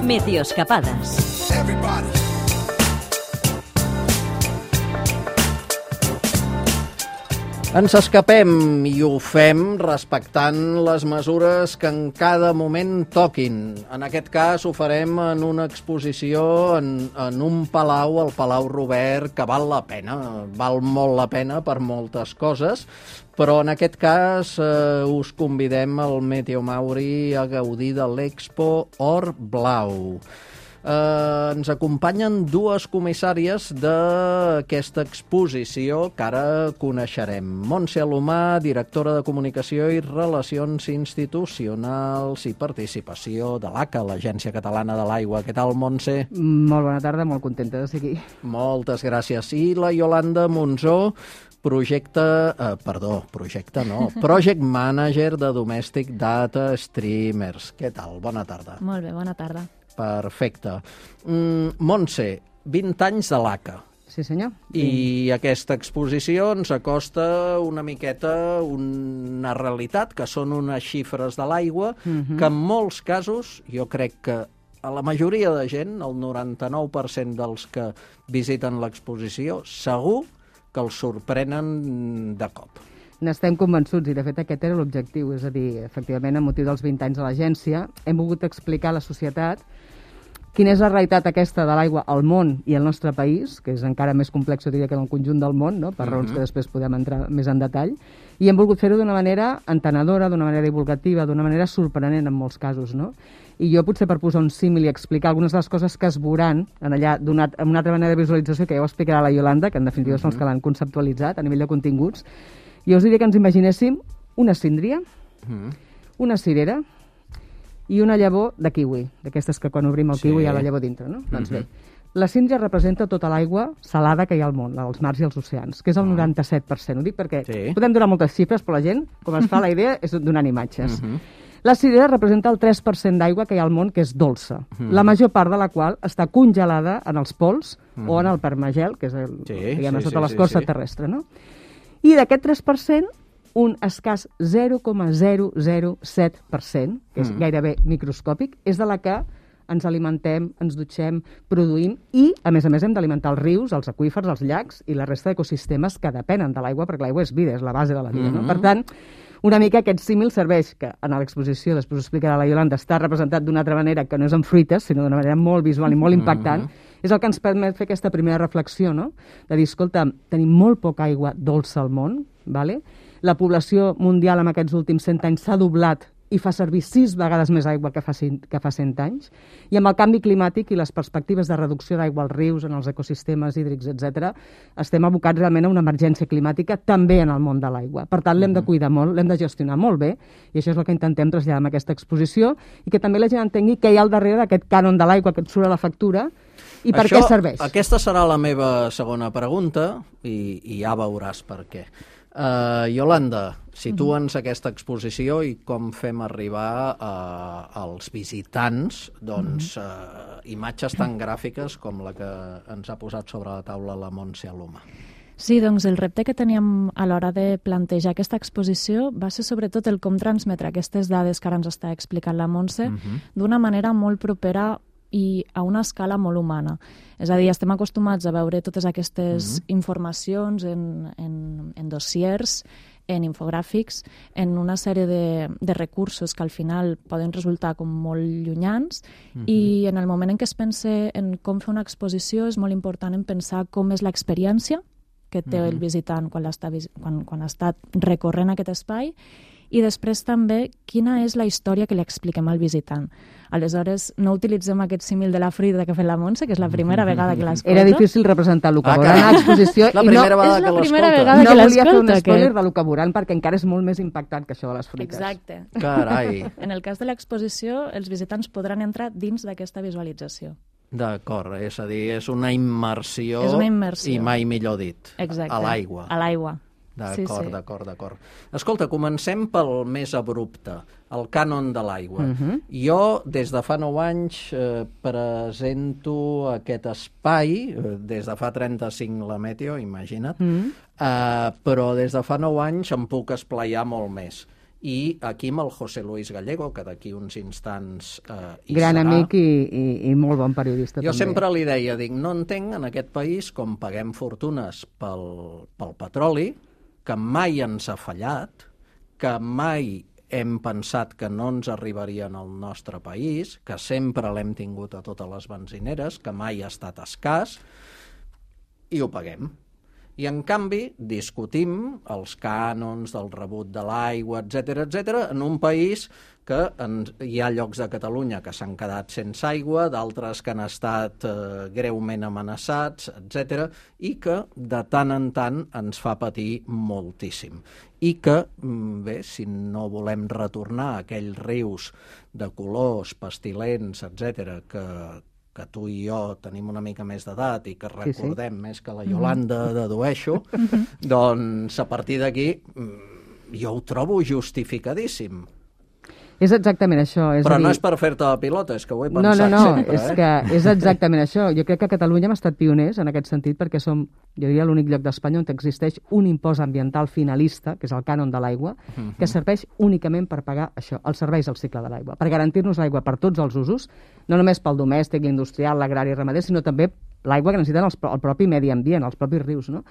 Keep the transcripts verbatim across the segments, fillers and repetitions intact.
Meteoscapades. Ens escapem i ho fem respectant les mesures que en cada moment toquin. En aquest cas ho farem en una exposició en, en un palau, el Palau Robert, que val la pena, val molt la pena per moltes coses, però en aquest cas eh, us convidem al Meteo Mauri a gaudir de l'Expo Or Blau. Eh, ens acompanyen dues comissàries d'aquesta exposició que ara coneixerem. Montse Alomà, directora de Comunicació i Relacions Institucionals i Participació de l'A C A, l'Agència Catalana de l'Aigua. Què tal, Montse? Molt bona tarda, molt contenta de ser aquí. Moltes gràcies. I la Iolanda Monzó, projecte, eh, perdó, projecte no, Project Manager de Domestic Data Streamers. Què tal? Bona tarda. Molt bé, bona tarda. Perfecte. Mm, Montse, vint anys de l'A C A. Sí, senyor. I sí. Aquesta exposició ens acosta una miqueta una realitat, que són unes xifres de l'aigua, uh-huh. que en molts casos, jo crec que a la majoria de gent, el noranta-nou per cent dels que visiten l'exposició, segur que els sorprenen de cop. N'estem convençuts, i de fet aquest era l'objectiu, és a dir, efectivament, a motiu dels vint anys de l'agència, hem volgut explicar a la societat quina és la realitat aquesta de l'aigua al món i al nostre país, que és encara més complex, diria, que en el conjunt del món, no? Per uh-huh. raons que després podem entrar més en detall, i hem volgut fer-ho d'una manera entenedora, d'una manera divulgativa, d'una manera sorprenent en molts casos, no? I jo potser per posar un símil i explicar algunes de les coses que es veuran en allà donat, amb una altra manera de visualització, que ja ho explicarà la Iolanda, que en definitiva uh-huh. són els que l'han conceptualitzat a nivell de continguts. Jo us diria que ens imaginéssim una síndria, mm. una cirera i una llavor de kiwi, d'aquestes que quan obrim el sí. kiwi hi ha la llavor dintre, no? Mm-hmm. Doncs bé, la síndria representa tota l'aigua salada que hi ha al món, als mars i als oceans, que és el mm. noranta-set per cent. Ho dic perquè sí. podem donar moltes xifres, però la gent, com es fa la idea, és donant imatges. Mm-hmm. La cirera representa el tres per cent d'aigua que hi ha al món, que és dolça, mm. la major part de la qual està congelada en els pols mm. o en el permagel, que és el, sí, diguem, sí, sota sí, l'escorça sí, sí. terrestre, no? I d'aquest tres per cent, un escàs zero coma zero zero set per cent, que és mm. gairebé microscòpic, és de la que ens alimentem, ens dutxem, produïm i, a més a més, hem d'alimentar els rius, els aqüífers, els llacs i la resta d'ecosistemes que depenen de l'aigua, perquè l'aigua és vida, és la base de la vida. Mm-hmm. No? Per tant, una mica aquest símil serveix, que en l'exposició, després ho explicarà la Iolanda, està representat d'una altra manera, que no és amb fruites, sinó d'una manera molt visual i molt impactant, mm-hmm. és el que ens permet fer aquesta primera reflexió, no? De dir, escolta, tenim molt poca aigua dolça al món, vale? La població mundial en aquests últims cent anys s'ha doblat i fa servir sis vegades més aigua que fa, que fa cent anys, i amb el canvi climàtic i les perspectives de reducció d'aigua als rius, en els ecosistemes hídrics, etcètera, estem abocats realment a una emergència climàtica també en el món de l'aigua. Per tant, l'hem de cuidar molt, l'hem de gestionar molt bé, i això és el que intentem traslladar amb aquesta exposició, i que també la gent entengui què hi ha al darrere d'aquest cànon de l'aigua que et surt a la factura, i per això, què serveix. Aquesta serà la meva segona pregunta, i, i ja veuràs per què. Uh, Iolanda, situa'ns aquesta exposició i com fem arribar uh, als visitants doncs, uh, imatges tan gràfiques com la que ens ha posat sobre la taula la Montse Alomà. Sí, doncs el repte que teníem a l'hora de plantejar aquesta exposició va ser sobretot el com transmetre aquestes dades que ara ens està explicant la Montse uh-huh. d'una manera molt propera i a una escala molt humana. És a dir, estem acostumats a veure totes aquestes mm-hmm. informacions en, en, en dossiers, en infogràfics, en una sèrie de, de recursos que al final poden resultar com molt llunyans mm-hmm. i en el moment en què es pensa en com fer una exposició és molt important en pensar com és l'experiència que té mm-hmm. el visitant quan, està, quan, quan ha estat recorrent aquest espai i després també quina és la història que li expliquem al visitant. Aleshores, no utilitzem aquest símil de la fruita que ha fet la Montse, que és la primera vegada que l'escolta. Era difícil representar el que veurà en l'exposició. La primera vegada que l'escolta. És la primera vegada que l'escolta. No volia fer un spoiler de lo que veuran, perquè encara és molt més impactant que això de les fruites. Exacte. Carai. En el cas de l'exposició, els visitants podran entrar dins d'aquesta visualització. D'acord, és a dir, és una immersió, és una immersió. I mai millor dit, exacte. A l'aigua. A l'aigua. D'acord, sí, sí. d'acord, d'acord. Escolta, comencem pel més abrupte, el cànon de l'aigua. Uh-huh. Jo, des de fa nou anys, eh, presento aquest espai, eh, des de fa trenta-cinc la Meteo, imagina't, uh-huh. eh, però des de fa nou anys em puc esplaiar molt més. i aquí amb el José Luis Gallego, que d'aquí uns instants eh, hi Gran serà. amic i, i, i molt bon periodista. Jo també. sempre li deia, dic, no entenc en aquest país com paguem fortunes pel, pel petroli, que mai ens ha fallat, que mai hem pensat que no ens arribarien al nostre país, que sempre l'hem tingut a totes les benzineres, que mai ha estat escàs, i ho paguem. I, en canvi, discutim els cànons del rebut de l'aigua, etcètera, etcètera, en un país que ens, hi ha llocs de Catalunya que s'han quedat sense aigua, d'altres que han estat eh, greument amenaçats, etcètera, i que de tant en tant ens fa patir moltíssim. I que, bé, si no volem retornar a aquells rius de colors, pestilents, etcètera, que que tu i jo tenim una mica més d'edat i que recordem sí, sí. més que la Iolanda dedueixo, doncs a partir d'aquí jo ho trobo justificadíssim. És exactament això. És Però dir... no és per fer-te la pilota, és que ho he pensat no, no, no, sempre. És eh? que és exactament això. Jo crec que a Catalunya hem estat pioners en aquest sentit perquè som, jo diria, l'únic lloc d'Espanya on existeix un impost ambiental finalista, que és el cànon de l'aigua, uh-huh. que serveix únicament per pagar això, els serveis al cicle de l'aigua, per garantir-nos l'aigua per tots els usos, no només pel domèstic, l'industrial, l'agrari i ramader, sinó també l'aigua que necessiten els, el propi medi ambient, els propis rius, no?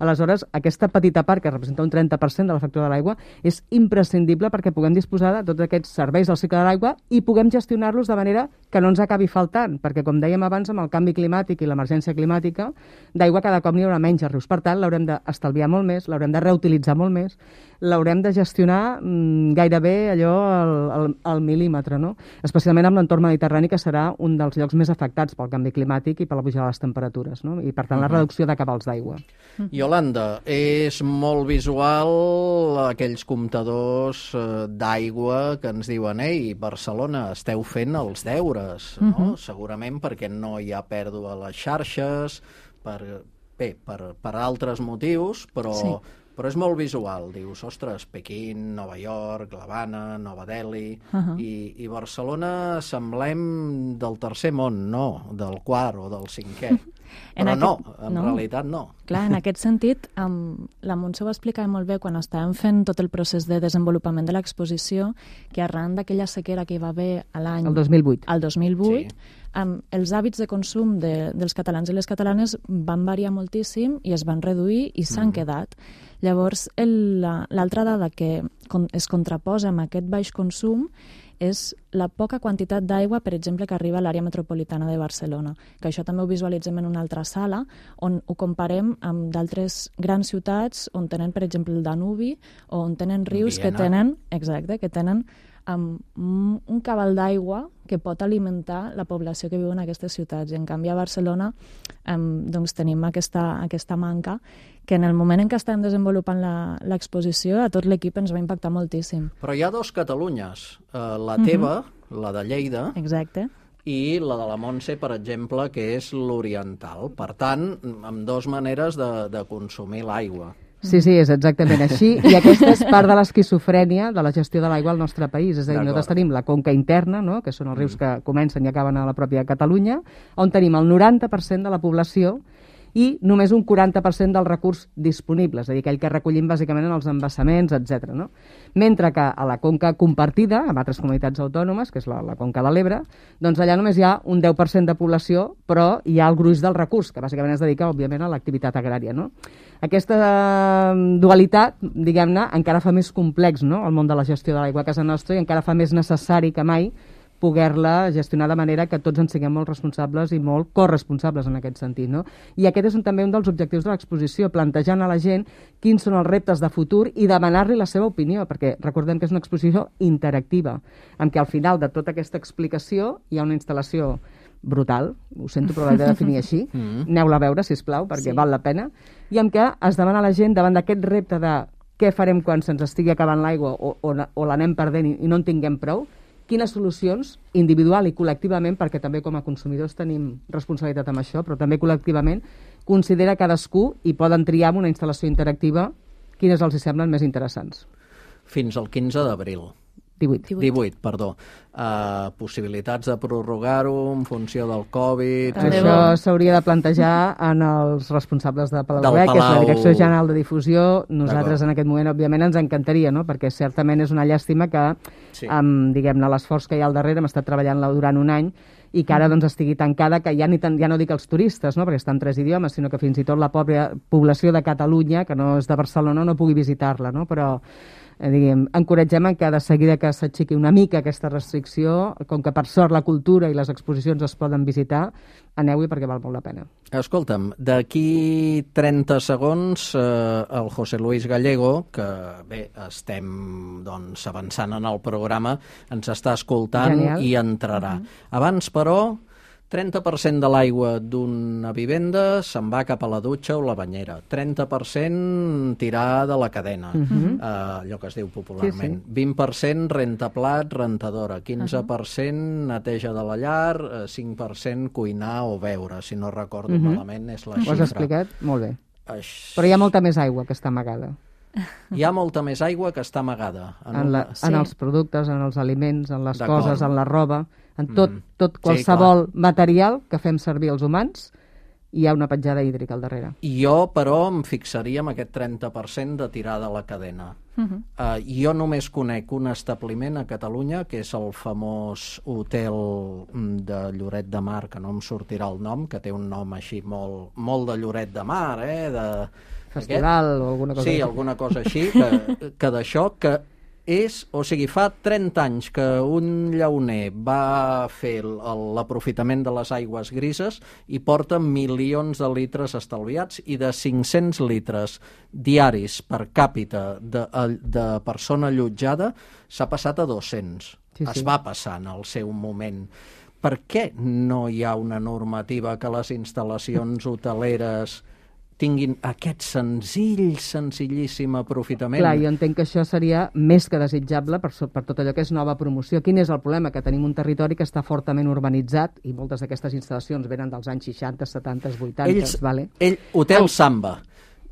Aleshores, aquesta petita part, que representa un trenta per cent de la factura de l'aigua, és imprescindible perquè puguem disposar de tots aquests serveis del cicle de l'aigua i puguem gestionar-los de manera que no ens acabi faltant, perquè, com dèiem abans, amb el canvi climàtic i l'emergència climàtica, d'aigua cada cop n'hi haurà menys a rius. Per tant, l'haurem d'estalviar molt més, l'haurem de reutilitzar molt més, l'haurem de gestionar mmm, gairebé allò al, al, al mil·límetre, no? Especialment amb l'entorn mediterrani, que serà un dels llocs més afectats pel canvi climàtic i per la pujada de les temperatures, no? I, per tant, la reducció de cabals d'aigua. Iolanda, és molt visual aquells comptadors eh, d'aigua que ens diuen ei, Barcelona, esteu fent els deures, no? Uh-huh. Segurament perquè no hi ha pèrdua a les xarxes, per, bé, per, per altres motius, però... Sí. Però és molt visual, dius, ostres, Pequín, Nova York, l'Havana, Nova Delhi, uh-huh. i, i Barcelona semblem del tercer món, no, del quart o del cinquè. Però aquest, no, en no. realitat no. Clar, en aquest sentit, um, la Montse ho explicava molt bé quan estàvem fent tot el procés de desenvolupament de l'exposició, que arran d'aquella sequera que hi va haver a l'any... El dos mil vuit. El dos mil vuit, sí. um, els hàbits de consum de, dels catalans i les catalanes van variar moltíssim i es van reduir i s'han mm. quedat. Llavors, l'altra dada que es contraposa amb aquest baix consum és la poca quantitat d'aigua, per exemple, que arriba a l'àrea metropolitana de Barcelona, que això també ho visualitzem en una altra sala, on ho comparem amb d'altres grans ciutats on tenen, per exemple, el Danubi, o on tenen rius Viena. que tenen, exacte, que tenen um, un cabal d'aigua que pot alimentar la població que viu en aquestes ciutats. I, en canvi, a Barcelona um, doncs tenim aquesta, aquesta manca que en el moment en què estem desenvolupant l'exposició a tot l'equip ens va impactar moltíssim. Però hi ha dos Catalunyes, uh, la teva, uh-huh. la de Lleida, exacte. i la de la Montse, per exemple, que és l'oriental. Per tant, amb dues maneres de, de consumir l'aigua. Sí, sí, és exactament així. I aquesta és part de l'esquizofrènia de la gestió de l'aigua al nostre país. És a dir, nosaltres tenim la conca interna, no?, que són els rius que comencen i acaben a la pròpia Catalunya, on tenim el noranta per cent de la població i només un quaranta per cent del recurs disponible, és a dir, aquell que recollim bàsicament en els embassaments, etcètera. No? Mentre que a la conca compartida, amb altres comunitats autònomes, que és la, la conca de l'Ebre, doncs allà només hi ha un deu per cent de població, però hi ha el gruix del recurs, que bàsicament es dedica, òbviament, a l'activitat agrària. No? Aquesta dualitat, diguem-ne, encara fa més complex, no?, el món de la gestió de l'aigua a casa nostra i encara fa més necessari que mai poder-la gestionar de manera que tots en siguem molt responsables i molt corresponsables en aquest sentit. No? I aquest és un, també un dels objectius de l'exposició, plantejant a la gent quins són els reptes de futur i demanar-li la seva opinió, perquè recordem que és una exposició interactiva, en què al final de tota aquesta explicació hi ha una instal·lació brutal, ho sento però l'he de definir així, mm-hmm. aneu-la a veure, sisplau, perquè sí. val la pena, i en què es demana a la gent davant d'aquest repte de què farem quan se'ns estigui acabant l'aigua o, o, o l'anem perdent i, i no en tinguem prou, quines solucions, individual i col·lectivament, perquè també com a consumidors tenim responsabilitat amb això, però també col·lectivament, considera cadascú i poden triar amb una instal·lació interactiva quines els hi semblen més interessants. Fins al quinze d'abril. divuit. divuit, perdó. Uh, possibilitats de prorrogar-ho en funció del Covid... Això s'hauria de plantejar en els responsables de Palau Del Rec, que és la Palau. Direcció General de Difusió. Nosaltres en aquest moment, òbviament, ens encantaria, no? Perquè certament és una llàstima que, Sí. amb, diguem-ne, l'esforç que hi ha al darrere, hem estat treballant-la durant un any, i que ara doncs, estigui tancada, que ja, ni tan, ja no dic els turistes, no? Perquè està en tres idiomes, sinó que fins i tot la pobra població de Catalunya, que no és de Barcelona, no pugui visitar-la, no? Però eh, diguem, encoratgem que de seguida que s'aixequi una mica aquesta restricció, com que per sort la cultura i les exposicions es poden visitar, aneu-hi perquè val molt la pena. Escolta'm, d'aquí trenta segons eh, el José Luis Gallego, que bé, estem doncs, avançant en el programa, ens està escoltant Genial. i entrarà. Uh-huh. Abans, però, trenta per cent de l'aigua d'una vivenda se'n va cap a la dutxa o la banyera, trenta per cent tirar de la cadena, uh-huh. eh, allò que es diu popularment, Sí, sí. vint per cent rentaplat, rentadora, quinze per cent neteja de la llar, eh, cinc per cent cuinar o beure, si no recordo Uh-huh. malament, és la Ho has xifra. explicat? Molt bé. Aix... Però hi ha molta més aigua que està amagada. Hi ha molta més aigua que està amagada. En En, la, una... Sí. en els productes, en els aliments, en les D'acord. coses, en la roba, en tot, Mm. tot qualsevol material que fem servir els humans, hi ha una petjada hídrica al darrere. Jo, però, em fixaria en aquest trenta per cent de tirar de la cadena. Uh -huh. Uh, jo només conec un establiment a Catalunya, que és el famós hotel mm, de Lloret de Mar, que no em sortirà el nom, que té un nom així molt, molt de Lloret de Mar, eh? De... Festival Aquest? o alguna cosa Sí, així. alguna cosa així, que, que d'això, que és, o sigui, fa trenta anys que un llauner va fer el- el- l'aprofitament de les aigües grises i porta milions de litres estalviats, i de cinc-cents litres diaris per càpita de, de persona allotjada s'ha passat a dos-cents. Sí, sí. Es va passar en el seu moment. Per què no hi ha una normativa que les instal·lacions hoteleres tinguin aquest senzill, senzillíssim aprofitament? Clar, jo entenc que això seria més que desitjable per, so- per tot allò que és nova promoció. Quin és el problema? Que tenim un territori que està fortament urbanitzat i moltes d'aquestes instal·lacions venen dels anys seixanta, setanta, vuitanta, Ells, vale? ell, Hotel Samba,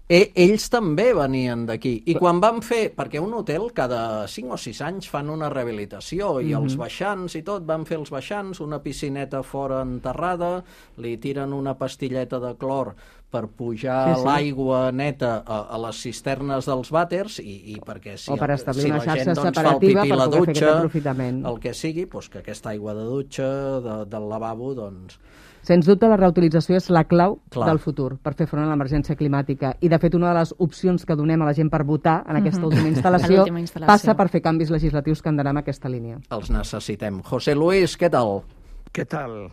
e, ells també venien d'aquí. I quan van fer, perquè un hotel cada cinc o sis anys fan una rehabilitació, i els baixants i tot, van fer els baixants, una piscineta fora enterrada, li tiren una pastilleta de clor per pujar Sí, sí. l'aigua neta a, a les cisternes dels vàters, i, i perquè si, O per el- establir si una la xarxa gent doncs, fa el separativa pipí a per la poder fer aquest dutxa, aprofitament. el que sigui, doncs que aquesta aigua de dutxa, de, del lavabo, doncs... Sens dubte, la reutilització és la clau Clar. del futur per fer front a l'emergència climàtica. I, de fet, una de les opcions que donem a la gent per votar en aquesta última instal·lació, A l'última instal·lació. passa per fer canvis legislatius que han d'anar en aquesta línia. Els necessitem. José Luis, què tal? Què tal?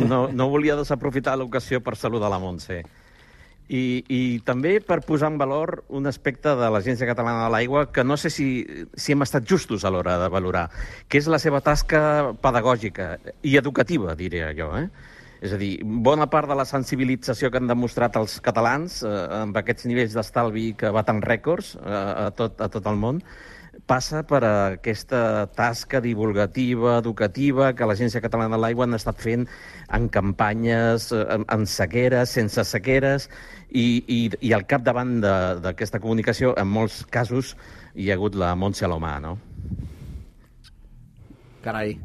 No, no volia desaprofitar l'ocasió per saludar la Montse. I, I també per posar en valor un aspecte de l'Agència Catalana de l'Aigua que no sé si, si hem estat justos a l'hora de valorar, que és la seva tasca pedagògica i educativa, diria jo, eh? És a dir, bona part de la sensibilització que han demostrat els catalans eh, amb aquests nivells d'estalvi que baten rècords eh, a, tot, a tot el món passa per aquesta tasca divulgativa, educativa, que l'Agència Catalana de l'Aigua han estat fent en campanyes, en, en sequeres, sense sequeres, i, i, i al capdavant de- d'aquesta comunicació, en molts casos, hi ha hagut la Montse Alomà, no? Carai.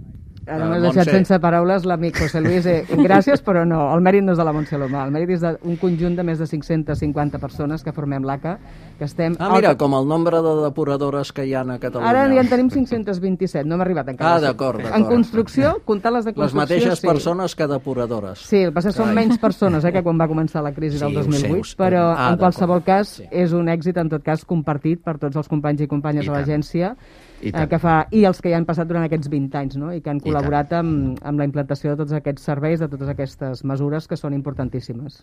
Ara Eh, m'has deixat Montse. sense paraules l'amic José Luis. Eh, gràcies, però no. El mèrit no és de la Montse Alomà. El mèrit és d'un conjunt de més de cinc-centes cinquanta persones que formem l'A C A, que estem... Ah, mira, al- com el nombre de depuradores que hi ha a Catalunya. Ara ja en tenim cinc-cents vint-i-set, no hem arribat encara. Ah, d'acord, En d'acord. construcció, comptant les de Les construcció... mateixes sí. persones que depuradores. Sí, el que passa és que són Carai. menys persones eh, que quan va començar la crisi Sí, del ho dos mil sé, vuit, ho sé. però Ah, en qualsevol d'acord. cas Sí. és un èxit, en tot cas, compartit per tots els companys i companyes I de tant. l'agència, I eh, tant. que fa, i els que hi han passat durant aquests vint anys, no? I que han I col·laborat amb, amb la implantació de tots aquests serveis, de totes aquestes mesures que són importantíssimes.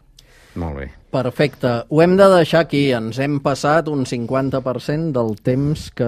Molt bé. Perfecte. Ho hem de deixar aquí. Ens hem passat un cinquanta per cent del temps que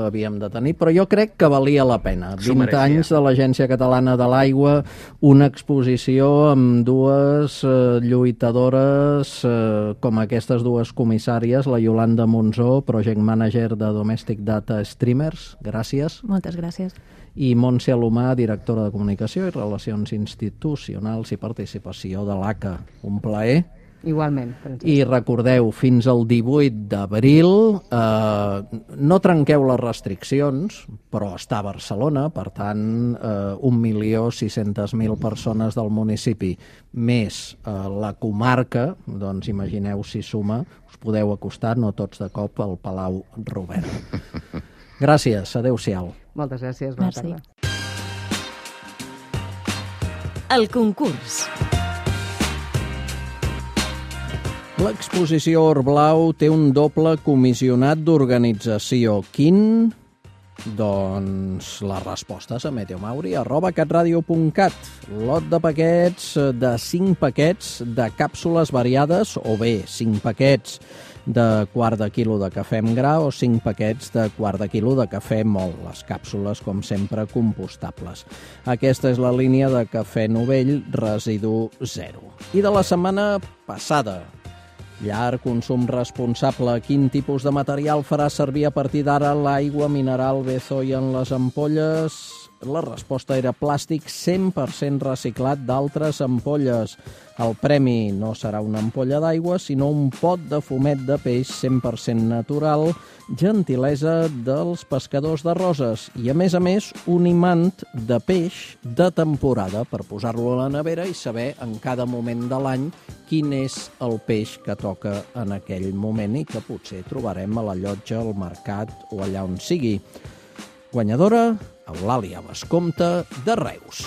havíem de tenir, però jo crec que valia la pena. S'ho vint mereixia. anys de l'Agència Catalana de l'Aigua, una exposició amb dues eh, lluitadores eh, com aquestes dues comissàries, la Yolanda Monzó, Project Manager de Domestic Data Streamers, gràcies, Moltes gràcies. i Montse Alomà, directora de Comunicació i Relacions Institucionals i Participació de l'A C A. Un plaer. Igualment, Francesc. I recordeu, fins al divuit d'abril eh, no trenqueu les restriccions, però està a Barcelona, per tant, eh, un milió sis-centes mil persones del municipi, més eh, la comarca, doncs imagineu si suma, us podeu acostar, no tots de cop, al Palau Robert. Gràcies, adeu-siau. Moltes gràcies, bona Merci. tarda. El concurs. L'exposició Orblau té un doble comissionat d'organització. Quin? Doncs les respostes a meteomauri arroba catradio punt cat. Lot de paquets de cinc paquets de càpsules variades, o bé cinc paquets de quart de quilo de cafè amb gra o cinc paquets de quart de quilo de cafè mol. Les càpsules, com sempre, compostables. Aquesta és la línia de cafè novell residu zero. I de la setmana passada, llar, consum responsable. Quin tipus de material farà servir a partir d'ara l'aigua mineral Bezoy en les ampolles? La resposta era plàstic cent per cent reciclat d'altres ampolles. El premi no serà una ampolla d'aigua, sinó un pot de fumet de peix cent per cent natural, gentilesa dels pescadors de Roses. I, a més a més, un imant de peix de temporada per posar-lo a la nevera i saber en cada moment de l'any quin és el peix que toca en aquell moment i que potser trobarem a la llotja, al mercat o allà on sigui. Guanyadora, Eulàlia Vescomte de Reus.